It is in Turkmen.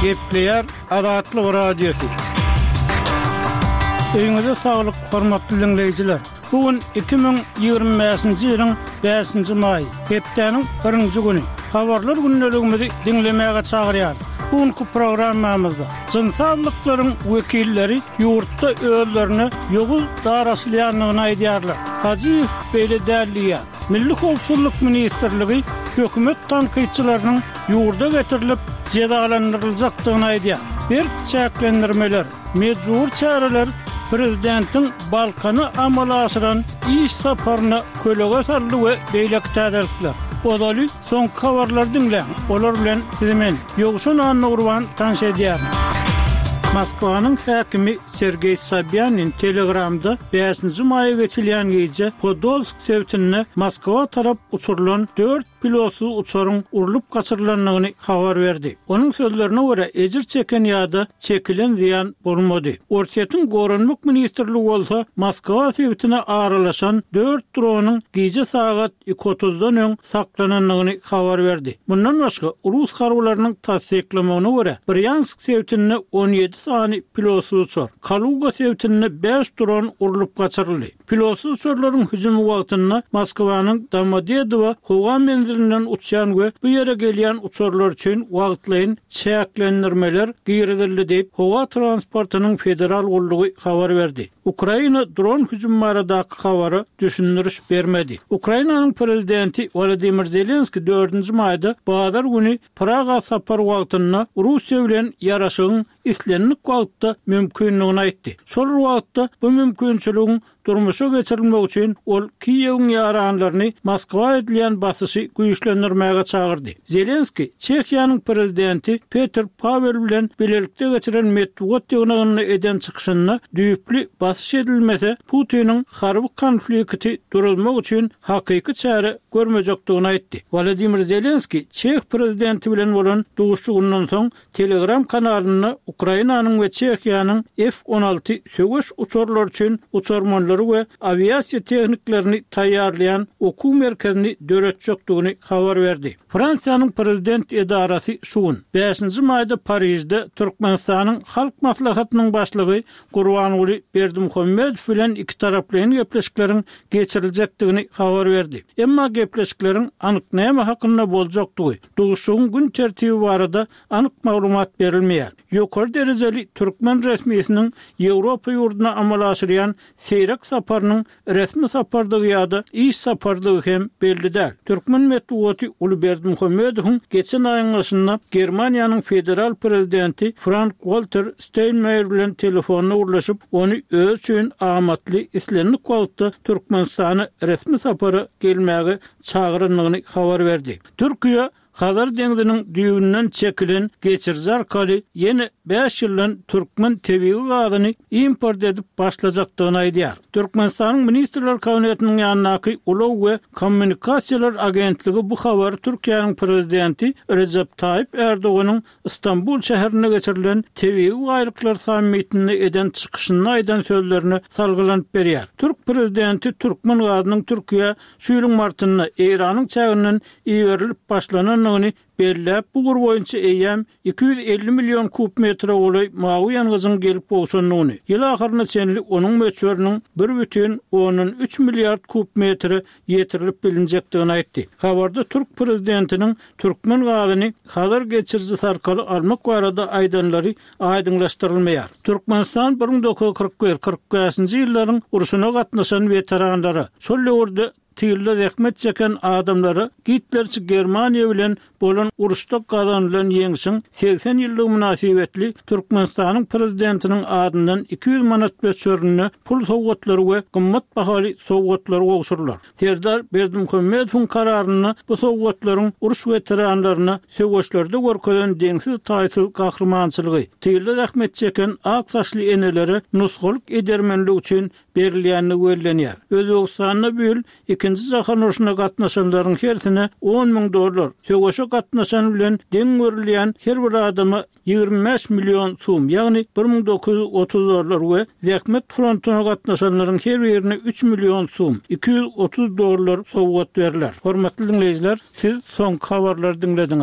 Gepleýär Azatlyk Radiosy. Öýüňize saglyk, hormatly diňleýjiler! Bu gün 2025-nji ýylyň bäşinji maýy, hepdäniň birinji güni. Habarlar gündeligimizi diňlemäge çagyrýarys. Bu günki programmamyzda jynsy azlyklaryň wekilleri ýurtda özlerine ýowuz daraşylýandygyny aýdýarlar. Hajyýew beýle däl diýýär. Milli howpsuzlyk ministrligi hökümet tankytçylarynyň ýurda getirilip jezalandyryljakdygyny aýdýar. Berk çäklendirmeler, mejbury çäreler prezidentiň Balkana amala aşyran iş saparyna kölege saldy we beýleki täzelikler. Ozaly soňky habarlary diňläň, olar bilen sizi men, Ýowşan Annagurban tanyş edýärin. Moskwanyň häkimi Sergeý Sobýanin Telegramda bäşinji maýa geçilýän gije Podolsk sebitinde Moskwa tarap uçurylan dört pilotsyz uçaryň urlup gaçyrylandygyny habar berdi. Onuň sözlerine görä, ejir çeken ýa-da çekilen zyýan bolmady. Orsýetiň Goranmak ministrligi bolsa Moskwa sebitine aralaşan dört dronyň gije sagat iki otuzdan öň saklanandygyny habar berdi. Mundan başga, rus harbylarynyň tassyklamagyna görä, Brýansk sebitinde 17 sany pilotsyz uçar, Kaluga sebitinde bäş dron urlup gaçyryldy. Pilotsyz uçarlaryň hüjümi wagtynda Moskwanyň Domodedowo howa menzilinden uçýan we bu ýere gelýän uçarlar üçin wagtlaýyn çäklendirmeler girizildi diýip, Howa transportynyň federal gullugy habar berdi. Ukraina dron hüjümi baradaky habara düşündiriş bermedi. Ukrainanyň prezidenti Wolodymyr Zelenskiý dördünji maýda bazar güni Praga sapary wagtynda Russiýa bilen ýaraşygyň islendik wagtda mümkindigini aýtdy. Şol bir wagtda, bu mümkinçiligiň durmuşa geçirilmegi üçin ol Kiýewiň ýaranlaryny Moskwa edilýän basyşy güýçlendirmäge çagyrdy. Zelenskiý Çehiýanyň prezidenti Petr Pawel bilen bilelikde geçiren metbugat ýygnagynda eden çykyşynda düýpli basyş edilmese, Putiniň harby konflikti duruzmak üçin hakyky çäre görmejekdigini aýtdy. Wolodymyr Zelenskiý çeh prezidenti bilen bolan duşuşygyndan soň Telegram kanalynda Ukrainanyň we Çehiýanyň F 16 söweş uçarlary üçin uçarmanlary we awiasiýa tehniklerini taýýarlaýan okuw merkezini döretjekdigini habar berdi. Fransiýanyň prezident edarasy şu gün, bäşinji maýda Parižde Türkmenistanyň Halk Maslahatynyň Başlygy Gurbanguly Berdimuhamedow bilen ikitaraplaýyn gepleşikleriň geçiriljekdigini habar berdi. Emma gepleşikleriň anyk näme hakynda boljakdygy, Duşuşygyň gün tertibi barada anyk maglumat berilmeýär. Ýokary derejeli türkmen resmisiniň Ýewropa ýurduna amala aşyrýan seýrek saparynyň resmi sapardygy ýa-da iş saparydygy hem belli däl. Türkmen metbugaty Uly Berdimuhamedowyň geçen aýyň başynda Germaniýanyň federal prezidenti Frank-Walter Steinmeier bilen telefonda gürleşip, ony özi üçin amatly islendik wagtda Türkmenistana resmi sapara gelmäge çagyrandygyny habar berdi. Türkiýe Hazar deňziniň düýbünden çekilen geçiriji arkaly ýene bäş ýyldan türkmen tebigy gazyny import edip başlajakdygyny aýdýar. Türkmenistanyň Ministrler Kabinetiniň ýanyndaky Ulag we kommunikasiýalar agentligi bu habary Türkiýäniň Prezidenti Rejep Taýyp Ärdoganyň Stambul şäherinde geçirilen Tebigy baýlyklar sammitinde eden çykyşynda aýdan sözlerine salgylanyp berýär. Türk prezidenti türkmen gazynyň Türkiýä şu ýylyň martynda Eýranyň çäginden iberilip başlanandygyny belläp, bu ugur boýunça eýýäm 250 million kub metre golaý mawy ýangyjyň gelip gowşandygyny, ýyl ahyryna çenli onuň möçberiniň bir bütin ondan üç milliard kub metre ýetirilip bilinjekdigini aýtdy. Habarda türk prezidentiniň türkmen gazyny Hazar geçirijisi arkaly almak barada aýdanlary aýdyňlaşdyrylmaýar. Türkmenistan 1941, 45-nji ýyllaryň urşuna gatnaşan weteranlara, şol döwürde tylda zähmet çeken adamlara gitlerçi Germaniýa bilen bolan uruşda gazanylan ýeňşiň 80 ýyllygy mynasybetli Türkmenistanyň Prezidentiniň adyndan 200 manat möçberinde pul sowgatlary we gymmat bahaly sowgatlary gowşurylar. Serdar Berdimuhamedowyň kararynda bu sowgatlaryň uruş weteranlaryna söweşlerde görkezen deňsiz-taýsyz gahrymançylygy, tylda zähmet çeken ak saçly enelere nusgalyk edermenligi üçin berilýändigi bellenýär. Özbegistanda bu ýyl Ikinji jahan urşuna gatnaşanlaryň hersine 10 müň dollar, söweşe gatnaşan bilen deň görülýän her bir adama 25 million sum, ýagny 1930 dollar we zähmet frontuna gatnaşanlaryň her birine 3 million sum, 230 dollar sowgat berler. Hormatly diňleýjiler, siz soňky habarlary diňlediňiz.